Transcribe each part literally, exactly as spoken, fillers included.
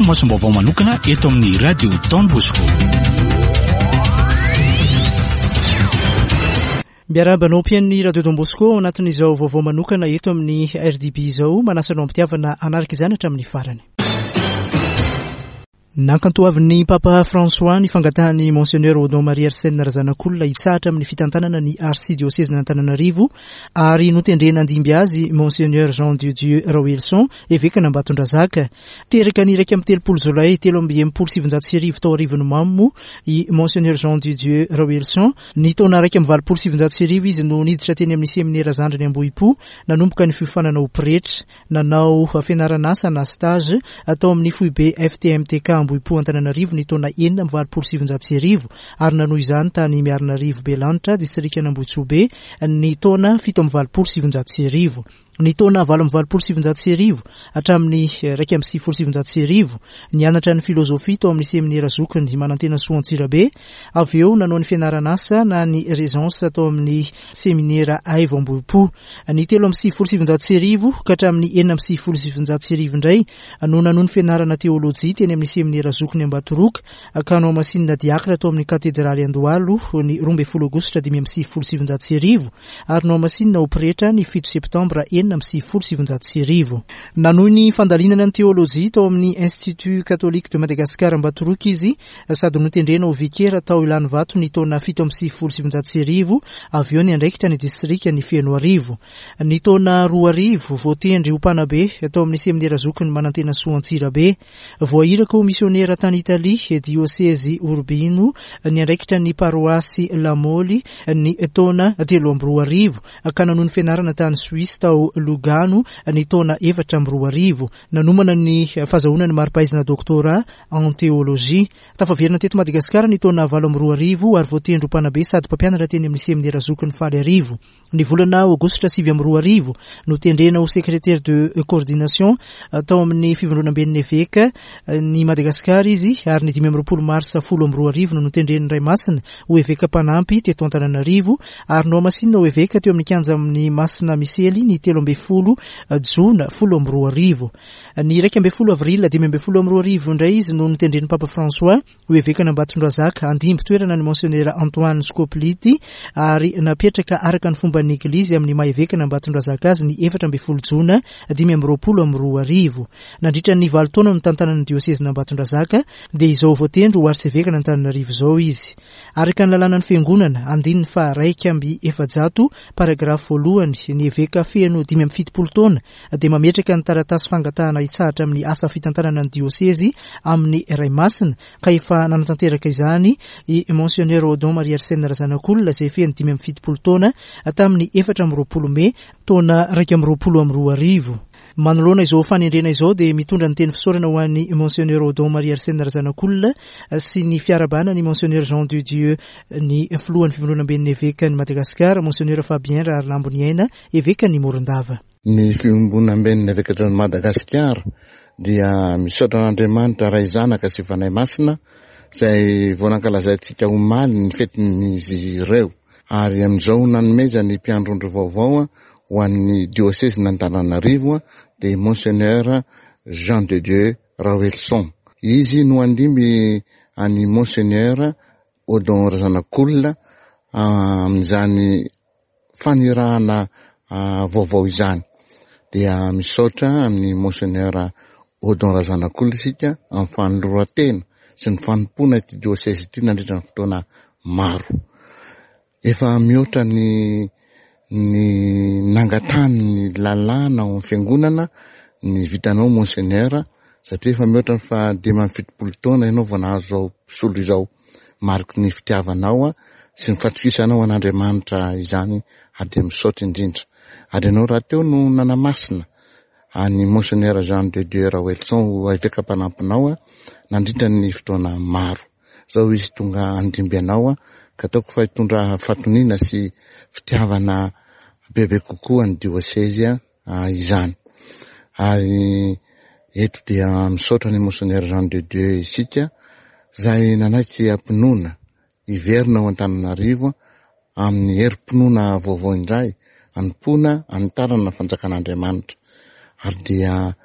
masom-baovao manokana eto amin'ny Radio Don Bosco. Miarahaba anao mpihaino Radio Don Bosco ao anatin'izao vaovao manokana eto amin'ny R D B izao, manasa anao am-pitiavana hanaraka izany hatramin'ny farany. Nankantoavin'ny Papa François ny fangatahan'ny Monseigneur Odon Marie Arsène Razanakolona hitsahatra amin'ny fitantanana ny arsidiosezin'Antananarivo ary notendrena handimby azy Monseigneur Jean de Dieu Raoelison, evekan'Ambatondrazaka. Teraka ny iraika amby telopolo jolay telo amby enimpolo sy sivinjato sy arivo tao Arivon'ny Mamo i Monseigneur Jean de Dieu Raoelison. Ny taona iraika amby valopolo sy sivinjato sy arivo izy no niditra teny amin'ny seminera zandriny Ambohipo, nanomboka ny fiofanana ho pretra, nanao fianaran'asa na stage atao amin'ny foibe F T M T K Ambohipo Antananarivo ny taona enina amby valopolo sy sivinjato sy arivo ary nanohy izany tany Miarinarivo Belanitra, distrikan'Ambohitsobe ny taona fito amby valopolo sy sivinjato sy arivo. Ny taona valo amby valopolo sy sivinjato sy arivo hatramin'ny iraika amby sivifolo sy sivinjato sy arivo nianatra ny filozofia tao amin'ny seminera zokiny Manantena Soa Antsirabe, avy eo nanao ny fianaran'asa na ny régence tao amin'ny seminera Aivo Ambohipo. Ny telo amby sivifolo sy sivinjato sy arivo ka hatramin'ny enina amby sivifolo sy sivinjato sy arivo indray no nanohy ny fianarana teolojia teny amin'ny seminera zokiny Ambatoroka ka nohamasinina diakra tao amin'ny katedraly Andohalo ny roa ambin'ny folo aogositra dimy amby sivifolo sy sivinjato sy arivo ary nohamasinina ho pretra ny fito septambra enina amby sivifolo sy sivinjato sy arivo. Nanohy ny fandalinana ny teolojia tao amin'ny Institut Catholique de Madagascar Ambatoroka izy sady notendrena ho vikera tao Ilanivato ny taona fito amby sivifolo sy sivinjato sy arivo, avy eo niandraikitra ny distrika ny Fenoarivo. Ny taona roa arivo voatendry ho mpanabe tao amin'ny seminera zokiny Manantena Soa Antsirabe. Voahiraka ho misionera tany Italia, diosezy Urbino, niandraikitra ny paroasy Lamoli ny taona telo amby roa arivo, ka nanohy ny fianarana tany Suisse tao Lugano ny taona efatra amby roa arivo. Nanomana ny fahazahoana ny mari-pahaizana doctorat en théologie. Tafaverina teto Madagasikara ny taona valo amby roa arivo ary voatendry ho mpanabe sady mpampianatra teny amin'ny seminera zokiny Faly Arivo. Ny volana aogositra sivy amby roa arivo notendrena ho secrétaire de coordination tao amin'ny fivondronamben'ny eveka ny Madagasikara izy ary ny dimy amby roapolo marsa folo amby roa arivo no notendren'ny Ray Masina ho eveka mpanampy teto Antananarivo ary nohamasinina ho eveka teo amin'ny kianja amin'ny Masina Misely ny telo ambin'ny folo jona folo amby roa arivo. Ny iraika ambin'ny folo avril dimy ambin'ny folo amby roa arivo indray izy no notendren'ny Papa François ho evekan'Ambatondrazaka handimby toerana ny Monseigneur Antoine Scopliti ary napetraka araka ny fomban'ny Eglizy amin'ny maha evekan'Ambatondrazaka azy ny efatra ambin'ny folo jona dimy amby roapolo amby roa arivo. Nandritra ny valo taona notantanany ny diosezin'Ambatondrazaka dia izao voatendry ho arsevekan'Antananarivo izao izy. Araka ny lalànan'ny fiangonana andininy faha-iraika amby efajato paragrafy voalohany, ny eveka feno dimy amby fitopolo taona dia mametraka ny taratasy fangatahana hitsahatra amin'ny asa fitantanana ny diosezy amin'ny Ray Masina ka efa nanatanteraka izany i Monseigneur Odon Marie Arsène Razanakolona izay feno dimy amby fitopolo taona tamin'ny efatra amby roapolo mey taona iraika amby roapolo amby roa arivo. Manoloana izao fanendrena izao dia mitondra ny teny fisaorana ho an'ny Monseigneur Odon Marie Arsène Razanakolona sy ny fiarahabana ny Monseigneur Jean de Dieu ny filohan'ny fivondronamben'ny evekan'i Madagasikara, Monseigneur Fabien Raharilamboniaina, evekan'i Morondava. Ny fivondronamben'ny evekan'i Madagasikara dia misaotra an'Andriamanitra Ray Zanaka sy Fanahy Masina izay vao nankalazaintsika omaly ny fetin'izy ireo ary amin'izao nanomezany mpiandrondro vaovao ho an'ny diosezin'Antananarivo dia Monseigneur Jean de Dieu Raoelison. Izy no handimby an'i Monseigneur Odon Razanakolona amin'izany fanirahana vaovao izany. Dia misaotra amin'ny Monseigneur Odon Razanakolona isika amin'ny fanoloran-tena sy ny fanompoana ity diosezy ity nandritra ny fotoana maro. Efa mihoatra ny, ny nangatahany ny lalàna ao amin'ny fiangonana ny vitanao Monseigneur, satria efa mihoatra ny fahadimy amby fitopolo taona ianao vao nahazo izao solo izao. Mariky ny fitiavanao sy ny fatokisanao an'Andriamanitra izany ary dia misaotra indrindra. Ary ianao rahateo no nanamasina an'i Monseigneur Jean de Dieu Raoelison ho eveka mpanampinao nandritra ny fotoana maro. Izao izy tonga handimby anao ka ataoko fa hitondra fahatoniana sy fitiavana bebe kokoa ny diosezy izany. Ary eto dia misaotra ny Monseigneur Jean de Dieu isika izay nanaiky am-pinoana hiverina ao Antananarivo amin'ny herim-pinoana vaovao indray, hanompoana, hanitarana ny fanjakan'Andriamanitra. Ary dia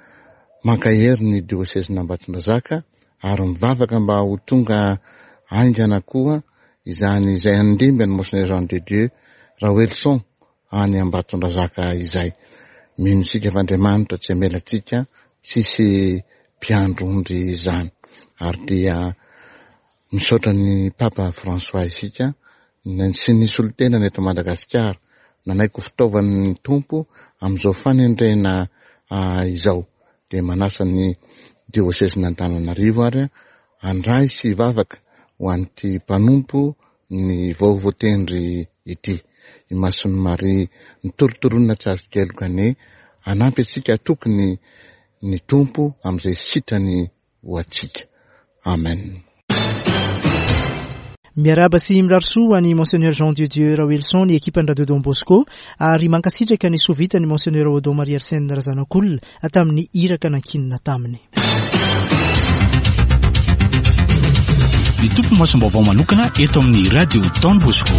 Mankahery ny diosezin'Ambatondrazaka ary mivavaka mba ho tonga haingana koa izany izay handimby an'i Monseigneur Jean de Dieu Raoelison any Ambatondrazaka izay. Mino isika fa Andriamanitra tsy hamela antsika tsisy mpiandry ondry izany. Ary dia misaotra ny Papa François isika sy ny solontenany eto Madagasikara nanaiky ho fitaovan'ny Tompo amin'izao fanendrena izao. Dia manasa ny diosezin'Antananarivo ary handray sy hivavaka ho an'ity mpanompo ny vao voatendry ity. I Masin'i Maria nitorotoronina tsy azo keloka anie hanampy antsika hatoky ny ny Tompo amin'izay sitrany ho antsika. Amen. Miarahaba sy mirary soa ho an'i Monseigneur Jean de Dieu Raoelison ny ekipan'ny Radio Don Bosco ary mankasitraka ny soa vitan'i Monseigneur Odon Marie Arsène Razanakolona tamin'ny iraka nankinina taminy. Ny tompo masom-baovao manokana eto amin'ny Radio Don Bosco.